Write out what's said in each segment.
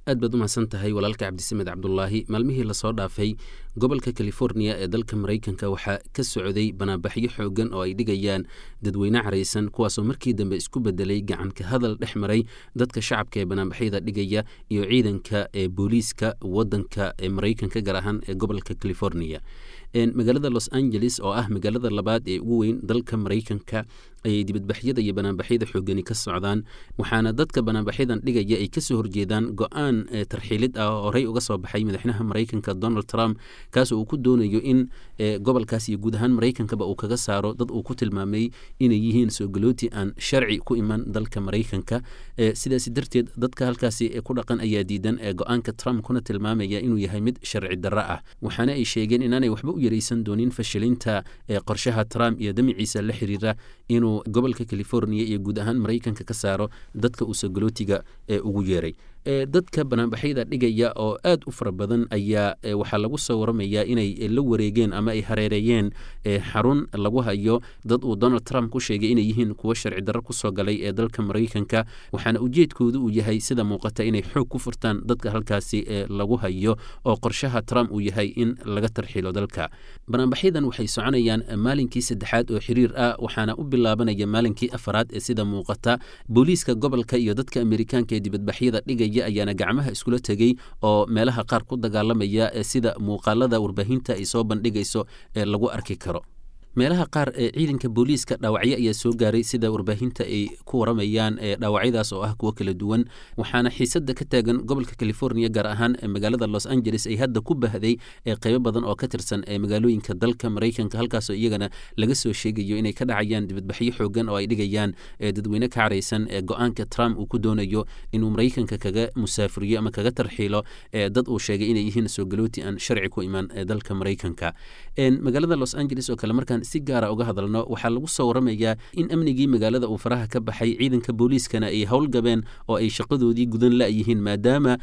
Aad baad u mahadsan tahay, walaalka Cabdisamed Cabdulaahi. Maalmihii lasoo dhaafay gobolka California ee dalka Maraykanka waxaa ka socday banaanbaxyo xoogan oo ay dhigayaan dadweyne caraysan, kuwaasoo markii dambe isku bedelay gacanka hadal dhex maray dadka shacabka ee banaanbaxyada dhigaya iyo ciidanka ee booliiska wadanka ee Maraykanka, gaar ahaan ee gobolka California. Magaalada Los Angeles oo ah magaalada labaad ee ugu weyn dalka Maraykanka ayay dibadbaxyada iyo banaanbaxyada xoogani ka socdaan, waxaana dadka banaanbaxyadan dhigaya ay kasoo horjeedaan go-aan tarxiilid ah oo horey uga soo baxay madaxweynaha Maraykanka Donald Trump, kaas oo uu ku doonayo in gobolkaas iyo guud ahaan Maraykankaba uu kaga saaro dad uu ku tilmaamay inay yihiin soo galooti aan sharci ku iman dalka Maraykanka. Sidaasi darteed dadka halkaasi ku dhaqan ayaa diidan go-aanka Trump, kuna tilmaamaya inuu yahay mid sharci darro ah, waxaana ay sheegeen inaanay waxba u yaraysan doonin fashilinta qorshaha Trump iyo damiciisa la xiriira inuu gobolka California iyo guud ahaan Maraykanka ka saaro dadka uu soo galootiga ugu yeeray. Dadka banaanbaxyada dhigaya oo aad u fara badan ayaa waxaa lagu soo waramayaa inay la wareegeen ama ay hareereeyeen xarun lagu hayo dad uu Donald Trump ku sheegay inay yihiin kuwo sharci darro kusoo galay ee dalka Maraykanka, waxaana ujeedkoodu uu yahay, sida muuqata, inay xoog ku furtaan dadka halkaasi lagu hayo oo qorshaha Trump uu yahay in laga tarxiilo dalka. Banaanbaxyadan waxay soconayaan maalinkii saddexaad oo xiriir ah, waxaana u bilaabanaya maalinkii afaraad ee sida muuqata. Booliiska gobolka iyo dadka Amerikaanka ee dibadbaxyada dhigaya ayaana gacmaha iskula tegey oo meelaha qaar ku dagaalamaya, sida muuqaalada warbaahinta ay soo bandhigayso ee lagu arki karo. Meelaha qaar ee ciidanka booliiska dhaawacyo ayaa soo gaaray, sida warbaahinta ay ku waramayaan, dhaawacyadaas oo ah kuwo kala duwan, waxaana xiisadda ka taagan gobolka California, gaar ahaan magaalada Los Angeles, ay hadda ku bahday qeybo badan oo ka tirsan magaalooyinka dalka Maraykanka, halkaasoo iyagana laga soo sheegayo inay ka dhacayaan dibadbaxyo xoogan oo ay dhigayaan dadweyne ka caraysan go-aanka Trump uu ku doonayo inuu Maraykanka kaga musaafuriyo ama kaga tarxiilo dad uu sheegay inay yihiin soo galooti aan sharci ku iman dalka Maraykanka. Magaalada Los Angeles oo kale markaan si gaara uga hadalno, waxaa lagu soo waramayaa in amnigii magaalada uu faraha ka baxay, ciidanka booliiskana ay howlgabeen oo ay shaqadoodii gudan la'yihiin, maadaama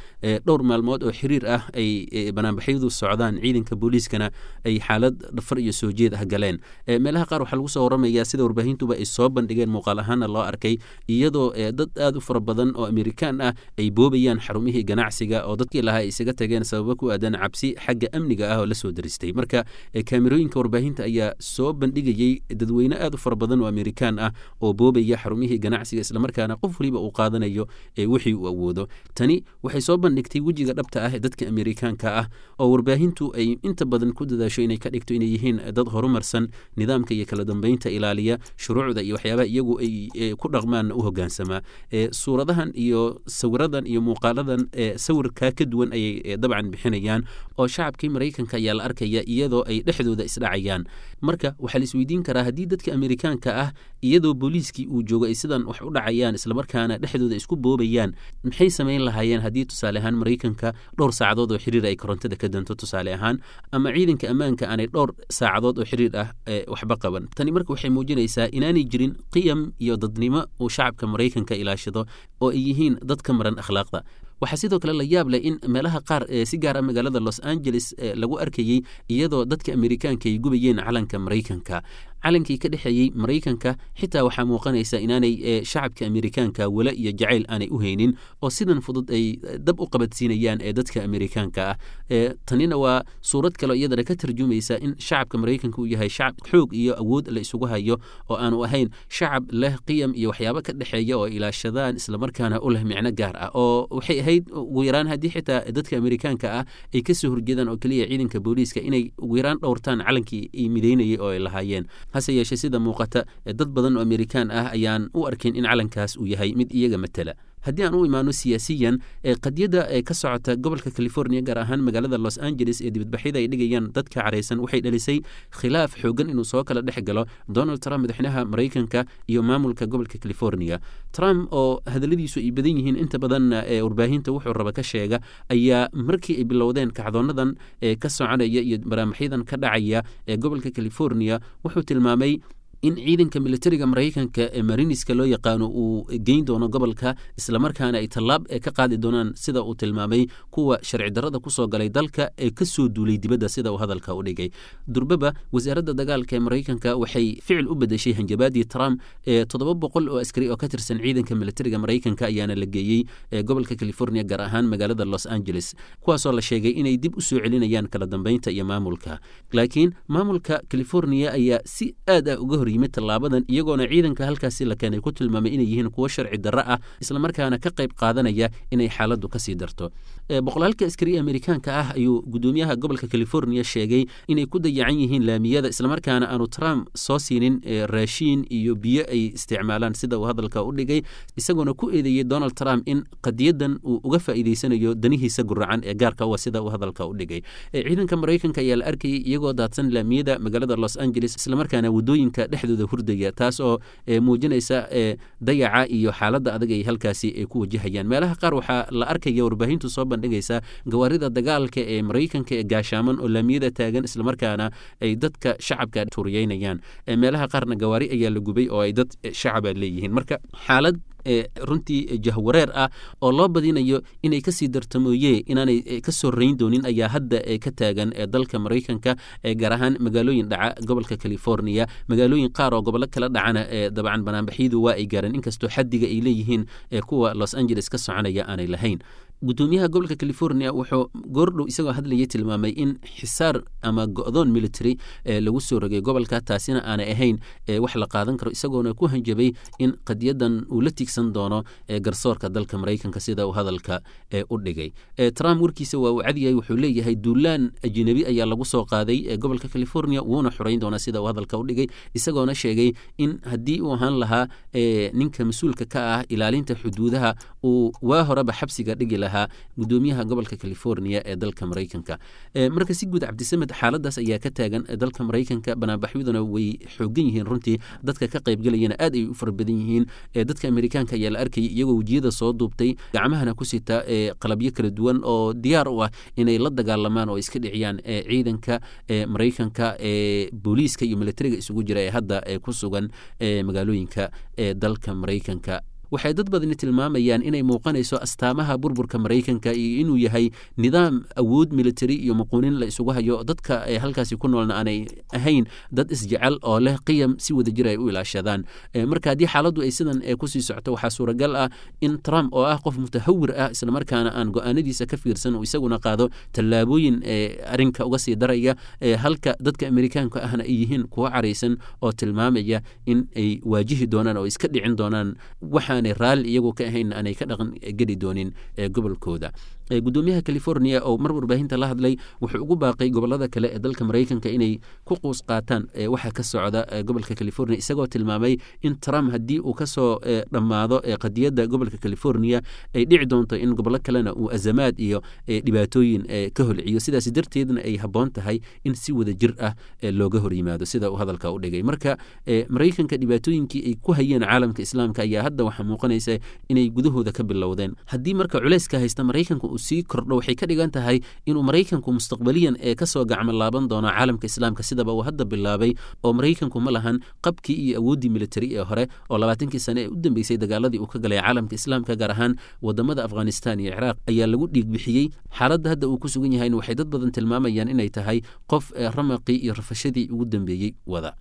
dhowr maalmood oo xiriir ah ay banaanbaxyadu socdaan, ciidanka booliiskana ay xaalad dhafar iyo soo jeed ah galeen. Meelaha qaar waxaa lagu soo waramayaa, sida warbaahintuba ay soo bandhigeen muuqaal ahaana loo arkay, iyadoo dad aad u fara badan oo Amerikaan ah ay boobayaan xarumihii ganacsiga oo dadkii lahaa ay isaga tageen sababo ku aadan cabsi xagga amniga ah oo la soo daristay. Marka kaamirooyinka warbaahinta ayaa soo bandhigayey dadweyne aad u fara badan oo Amerikaan ah oo boobaya xarumihii ganacsiga, islamarkaana qof waliba uu qaadanayo wixii uu awoodo. Tani waxay soo bandhigtay wejiga dhabta ah ee dadka Amerikaanka ah oo warbaahintu ay inta badan ku dadaasho inay ka dhigto inay yihiin dad horumarsan, nidaamka iyo kala dambeynta ilaaliya, shuruucda iyo waxyaabaha iyagu ay ku dhaqmaanna u hogaansamaa. Suuradahan iyo sawiradan iyo muuqaaladan sawirkaa ka duwan ayay dabcan bixinayaan, oo shacabkii Maraykanka ayaa la arkaya iyadoo ay dhexdooda isdhacayaan. Marka waxaa la isweydiin karaa, haddii dadka Amerikaanka ah iyadoo booliiskii uu joogo ay sidan wax u dhacayaan, islamarkaana dhexdooda isku boobayaan, maxay samayn lahaayeen haddii tusaale ahaan Maraykanka dhowr saacadood oo xiriir ay korontada ka danto tusaale ahaan, ama ciidanka ammaanka aanay dhowr saacadood oo xiriir ah waxba qaban? Tani marka waxay muujinaysaa inaanay jirin qiyam iyo dadnimo uu shacabka Maraykanka ilaashado oo ay yihiin dad ka maran akhlaaqda. Waxaa sidoo kale la yaab leh in meelaha qaar, si gaar ah magaalada Los Angeles, lagu arkayey iyadoo dadka Amerikaanka ay gubayeen calanka Maraykanka, calankii ka dhexeeyey Maraykanka. Xitaa waxaa muuqanaysa inaanay shacabka Amerikaanka wala iyo jacayl aanay u haynin oo sidan fudud ay dab u qabadsiinayaan ee dadka Amerikaanka ah. Tanina waa suurad kaleo iyadana ka tarjumaysa in shacabka Maraykanka uu yahay shacab xoog iyo awood la isugu hayo oo aanu ahayn shacab leh qiyam iyo waxyaabo ka dhexeeya oo ilaashadaan, islamarkaana u leh micno gaar ah. Oo waxay ahayd ugu yaraan, haddii xitaa dadka Amerikaanka ah ay kasoo horjeedaan oo keliya ciidanka booliiska, inay ugu yaraan dhowrtaan calankii ay midaynayay oo ay lahaayeen. Hase yeeshee, sida muuqata, dad badan oo Amerikaan ah ayaan u arkin in calankaas uu yahay mid iyaga matala. Haddii aan u imaano siyaasiyan, qadiyadda ka socota gobolka California, gaar ahaan magaalada Los Angeles, ee dibadbaxyada ay dhigayaan dadka caraysan, waxay dhalisay khilaaf xoogan inuu soo kala dhex galo Donald Trump, madaxweynaha Maraykanka, iyo maamulka gobolka California. Trump oo hadalladiisu ay badan yihiin, inta badanna warbaahinta wuxuu raba ka sheega, ayaa markii ay bilowdeen kacdoonadan ka soconaya iyo barnaamijyadan ka dhacaya ee gobolka California wuxuu tilmaamay in ciidanka militariga Maraykanka ee Mariniska loo yaqaano uu geyn doono gobolka, islamarkaana ay tallaab ka qaadi doonaan, sida uu tilmaamay, kuwa sharci darrada kusoo galay dalka ee ka soo duulay dibadda, sida uu hadalka u dhigay. Durbaba wasaaradda dagaalka ee Maraykanka waxay ficil u bedeshay hanjabaadii Trump. Ee 700 oo askari oo ka tirsan ciidanka militariga Maraykanka ayaana la geeyey gobolka California, gaar ahaan magaalada Los Angeles, kuwaasoo la sheegay inay dib u soo celinayaan kala dambeynta iyo maamulka. Laakiin maamulka California ayaa si aad ah uga hor yimid tallaabadan, iyagoona ciidanka halkaasi la keenay ku tilmaamay inay yihiin kuwo sharci darro ah, islamarkaana ka qayb qaadanaya inay xaaladdu kasii darto. Boqolaalka askari Amerikaanka ah ayuu gudoomiyaha gobolka California sheegay inay ku dayacan yihiin laamiyada, islamarkaana aanu Trump soo siinin raashiin iyo biyo ay isticmaalaan, sida uu hadalka u dhigay, isagoona ku eedeeyey Donald Trump in qadiyadan uu uga faa'iideysanayo danihiisa guracan ee gaarka u ah, sida uu hadalka u dhigay. Ciidanka Maraykanka ayaa la arkayay iyagoo daadsan laamiyada magaalada Los Angeles, islamarkaana wadooyinka dhexdooda hurdaya, taas oo muujinaysa dayaca iyo xaaladda adag ay halkaasi ay ku wajahayaan. Meelaha qaar waxaa la arkaya, warbaahintu soo bandhigaysa, gawaarida dagaalka ee Maraykanka ee gaashaaman oo laamiyada taagan, islamarkaana ay dadka shacabka tuuriyeynayaan. Meelaha qaarna gawaari ayaa la gubay oo ay dad shacaba leeyihiin. Marka xaalad runtii jahwareer ah oo loo badinayo inay kasii darto mooye inaanay ka soo rayn doonin ayaa hadda ka taagan dalka Maraykanka, gaar ahaan magaalooyin dhaca gobolka California. Magaalooyin qaar oo gobollo kala dhacana dabcan banaanbaxyadu waa ay gaareen, inkastoo xaddiga ay leeyihiin kuwa Los Angeles ka soconaya aanay lahayn. Gudoomiyaha gobolka California wuxuu goordhow isagoo hadlayay tilmaamay in xisaar ama go'doon military lagu soo rogay gobolka, taasina aanay ahayn wax la qaadan karo, isagoona ku hanjabay in qadiyadan uu la tiigsan doono garsoorka dalka Maraykanka, sida uu hadalka u dhigay. Trump warkiisa waa uu cadyahay, wuxuu leeyahay duulaan ajnabi ayaa lagu soo qaaday gobolka California, wuuna xoreyn doonaa, sida uu hadalka u dhigay, isagoona sheegay in haddii uu ahaan lahaa ninka mas-uulka ka ah ilaalinta xuduudaha uu waa horeba xabsiga dhigi lahaa gudoomiyaha gobolka California ee dalka Maraykanka. Marka si guud, Cabdisamed, xaaladaas ayaa ka taagan dalka Maraykanka, banaanbaxyaduna way xoogan yihiin runtii, dadka ka qaybgelayana aad ay u fara badan yihiin. Dadka Amerikaanka ayaa la arkayay iyagoo wejiyada soo duubtay, gacmahana ku sita qalabyo kala duwan oo diyaar u ah inay la dagaalamaan oo iska dhiciyaan ciidanka Maraykanka ee booliiska iyo militariga isugu jira ee hadda ku sugan magaalooyinka dalka Maraykanka. Waxay dad badani tilmaamayaan inay muuqanayso astaamaha burburka Maraykanka iyo inuu yahay nidaam awood military iyo muquunin la isugu hayo, dadka halkaasi ku noolna aanay ahayn dad isjecel oo leh qiyam si wadajir ay u ilaashadaan. Marka haddii xaaladdu ay sidan kusii socoto, waxaa suuragal ah in Trump oo ah qof mutahawir ah, islamarkaana aan go-aanadiisa ka fiirsan, uu isaguna qaado tallaabooyin arrinka uga sii daraya, halka dadka Amerikaanka ahna ay yihiin kuwo caraysan oo tilmaamaya in ay waajihi doonaan oo iska dhicin doonaan waxaan raalli iyagu ka ahayn aanay ka dhaqan geli doonin gobolkooda. Gudoomiyaha California oo mar warbaahinta la hadlay wuxuu ugu baaqay gobolada kale ee dalka Maraykanka inay ku quus qaataan waxa ka socda gobolka California, isagoo tilmaamay in Trump haddii uu kasoo dhammaado qadiyadda gobolka California ay dhici doonto in gobollo kalena uu azamaad iyo dhibaatooyin ka holciyo, sidaas darteedna ay habboon tahay in si wada jir ah looga hor yimaado, sida uu hadalka u dhigay. Marka Maraykanka dhibaatooyinkii ay ku hayeen caalamka Islaamka ayaa hadda waxaa muuqanaysa inay gudahooda ka bilowdeen. Haddii marka culayska haysta Maraykanka uu sii kordho, waxay ka dhigan tahay inuu Maraykanku mustaqbaliyan ee kasoo gacmo laaban doono caalamka Islaamka, sidaba uu hadda bilaabay, oo Maraykanku ma lahan qabkii iyo awooddii militari ee hore oo 20kii sane ee u dambeysay dagaaladii uu ka galay caalamka Islaamka, gaar ahaan wadamada Afghanistan iyo Ciraaq ayaa lagu dhiig bixiyey. Xaaladda hadda uu ku sugan yahayna waxay dad badan tilmaamayaan inay tahay qof ramaqii iyo rafashadii ugu dambeeyey wada.